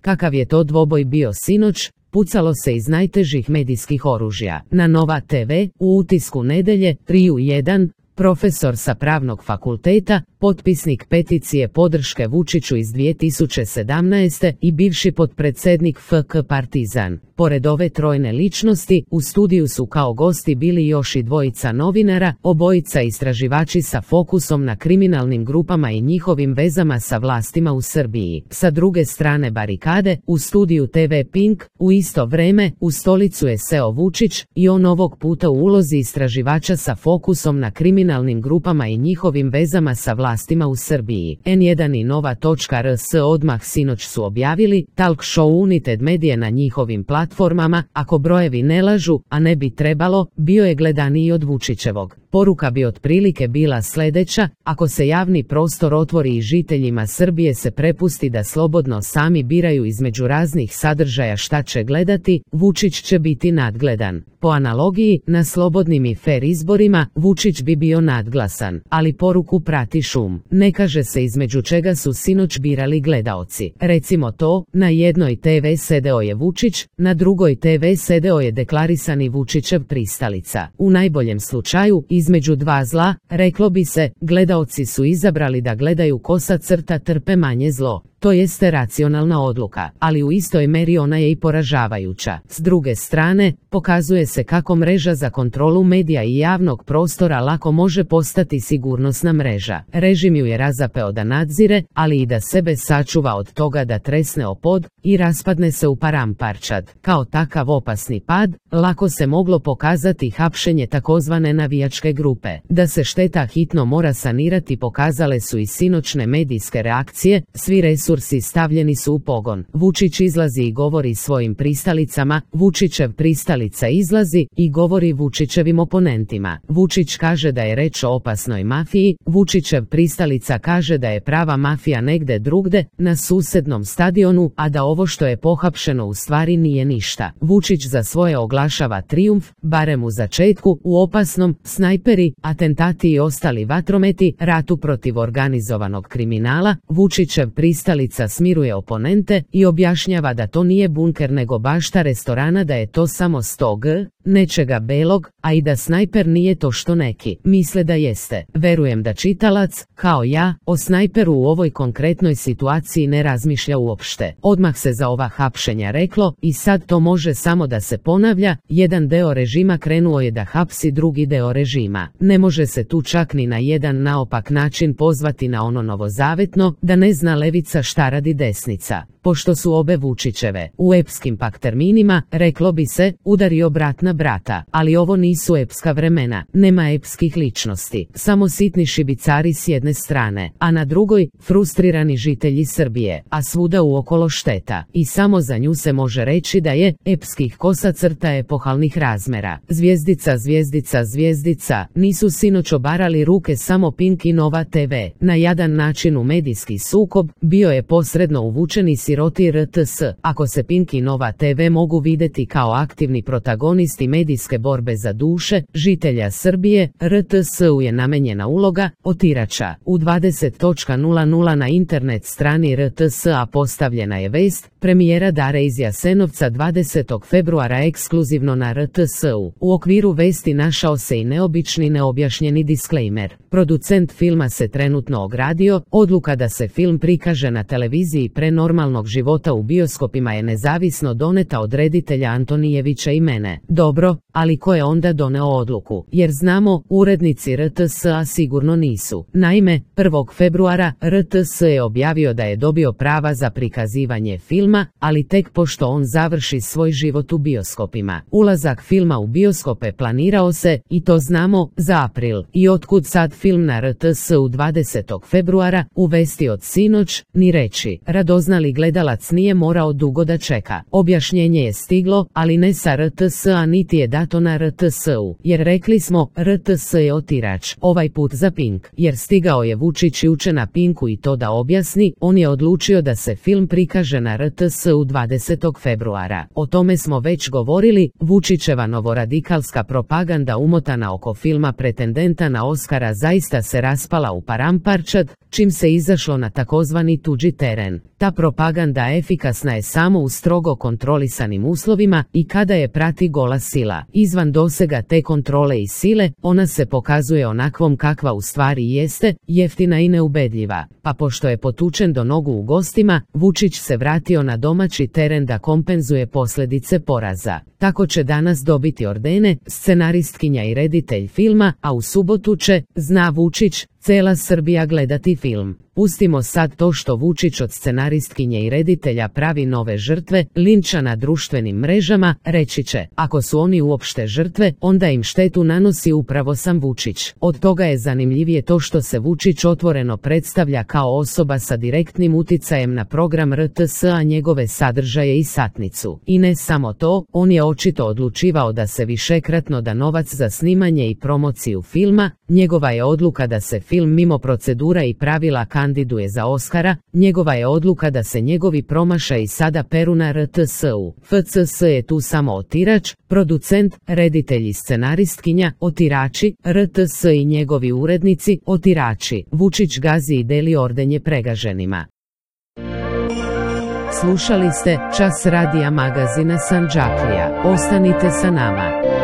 Kakav je to dvoboj bio sinoć? Pucalo se iz najtežih medijskih oružja. Na Nova TV, u utisku nedjelje, 3:1, profesor sa Pravnog fakulteta, potpisnik peticije podrške Vučiću iz 2017. i bivši potpredsjednik FK Partizan. Pored ove trojne ličnosti, u studiju su kao gosti bili još i dvojica novinara, obojica istraživači sa fokusom na kriminalnim grupama i njihovim vezama sa vlastima u Srbiji. Sa druge strane barikade, u studiju TV Pink, u isto vreme, u stolicu je seo Vučić i on ovog puta u ulozi istraživača sa fokusom na kriminalnim grupama i njihovim vezama sa vlastima u Srbiji. N1 i Nova.rs odmah sinoć su objavili, talk show United Medije na njihovim platformama, ako brojevi ne lažu, a ne bi trebalo, bio je gledaniji od Vučićevog. Poruka bi otprilike bila sljedeća: ako se javni prostor otvori i žiteljima Srbije se prepusti da slobodno sami biraju između raznih sadržaja šta će gledati, Vučić će biti nadgledan. Po analogiji, na slobodnim i fer izborima, Vučić bi bio nadglasan, ali poruku prati šum. Ne kaže se između čega su sinoć birali gledaoci. Recimo to, na jednoj TV sedeo je Vučić, na drugoj TV sedeo je deklarisani Vučićev pristalica. U najboljem slučaju, između dva zla, reklo bi se, gledaoci su izabrali da gledaju kosa crta trpe manje zlo. To jeste racionalna odluka, ali u istoj meri ona je i poražavajuća. S druge strane, pokazuje se kako mreža za kontrolu medija i javnog prostora lako može postati sigurnosna mreža. Režim ju je razapeo da nadzire, ali i da sebe sačuva od toga da tresne o pod i raspadne se u paramparčad. Kao takav opasni pad, lako se moglo pokazati hapšenje takozvane navijačke grupe. Da se šteta hitno mora sanirati pokazale su i sinoćne medijske reakcije, svi resursi stavljeni su u pogon. Vučić izlazi i govori svojim pristalicama, Vučićev pristalica izlazi i govori Vučićevim oponentima. Vučić kaže da je reč o opasnoj mafiji, Vučićev pristalica kaže da je prava mafija negde drugde, na susednom stadionu, a da ovo što je pohapšeno u stvari nije ništa. Vučić za svoje oglašava trijumf, barem u začetku, u opasnom, snajperi, atentati i ostali vatrometi, ratu protiv organizovanog kriminala. Vučićev pristalica smiruje oponente i objašnjava da to nije bunker nego bašta restorana, da je to samo 100 g, nečega belog, a i da snajper nije to što neki misle da jeste. Verujem da čitalac, kao ja, o snajperu u ovoj konkretnoj situaciji ne razmišlja uopšte. Odmah se za ova hapšenja reklo i sad to može samo da se ponavlja, jedan deo režima krenuo je da hapsi drugi deo režima. Ne može se tu čak ni na jedan naopak način pozvati na ono novozavetno, da ne zna levica šta radi desnica. Pošto su obe Vučićeve, u epskim pak terminima, reklo bi se, udario brat na brata, ali ovo nisu epska vremena, nema epskih ličnosti, samo sitni šibicari s jedne strane, a na drugoj, frustrirani žitelji Srbije, a svuda uokolo šteta, i samo za nju se može reći da je epskih kosa crta epohalnih razmera. Zvijezdica, zvijezdica, zvijezdica, nisu sinoć obarali ruke samo Pink i Nova TV, na jadan način u medijski sukob, bio je posredno uvučen i siroti RTS, ako se Pink i Nova TV mogu videti kao aktivni protagonisti medijske borbe za duše žitelja Srbije, RTS-u je namenjena uloga otirača. U 20:00 na internet strani RTS-a postavljena je vest premijera Dare iz Jasenovca 20. februara ekskluzivno na RTS-u. U okviru vesti našao se i neobični neobjašnjeni disklejmer. Producent filma se trenutno ogradio, odluka da se film prikaže na televiziji pre normalnog života u bioskopima je nezavisno doneta od reditelja Antonijevića i mene. Dobro, ali ko je onda doneo odluku? Jer znamo, urednici RTS-a sigurno nisu. Naime, 1. februara RTS je objavio da je dobio prava za prikazivanje filma, ali tek pošto on završi svoj život u bioskopima. Ulazak filma u bioskope planirao se, i to znamo, za april. I otkud sad film na RTS-u 20. februara, u vesti od sinoć, ni reći. Radoznali gledalac nije morao dugo da čeka. Objašnjenje je stiglo, ali ne sa RTS-a niti je dato na RTS-u, jer rekli smo, RTS je otirač, ovaj put za Pink, jer stigao je Vučić juče na Pinku i to da objasni, on je odlučio da se film prikaže na RTS-u 20. februara. O tome smo već govorili, Vučićeva novoradikalska propaganda umotana oko filma pretendenta na Oskara zaista se raspala u paramparčad, čim se izašlo na takozvani tuđi teren. Ta propaganda propaganda efikasna je samo u strogo kontrolisanim uslovima i kada je prati gola sila. Izvan dosega te kontrole i sile, ona se pokazuje onakvom kakva u stvari jeste, jeftina i neubedljiva. Pa pošto je potučen do nogu u gostima, Vučić se vratio na domaći teren da kompenzuje posljedice poraza. Tako će danas dobiti ordene scenaristkinja i reditelj filma, a u subotu će, zna Vučić, cela Srbija gledati film. Pustimo sad to što Vučić od scenaristkinje i reditelja pravi nove žrtve, linča na društvenim mrežama, reći će, ako su oni uopšte žrtve, onda im štetu nanosi upravo sam Vučić. Od toga je zanimljivije to što se Vučić otvoreno predstavlja kao osoba sa direktnim uticajem na program RTS, a njegove sadržaje i satnicu. I ne samo to, on je očito odlučivao da se višekratno da novac za snimanje i promociju filma, njegova je odluka da se film mimo procedura i pravila kandiduje za Oskara, njegova je odluka da se njegovi promašaji sada peru na RTS-u. FCS je tu samo otirač, producent, reditelj i scenaristkinja, otirači, RTS i njegovi urednici, otirači. Vučić gazi i deli ordenje pregaženima. Slušali ste Čas radija magazina Sandžaklija. Ostanite sa nama.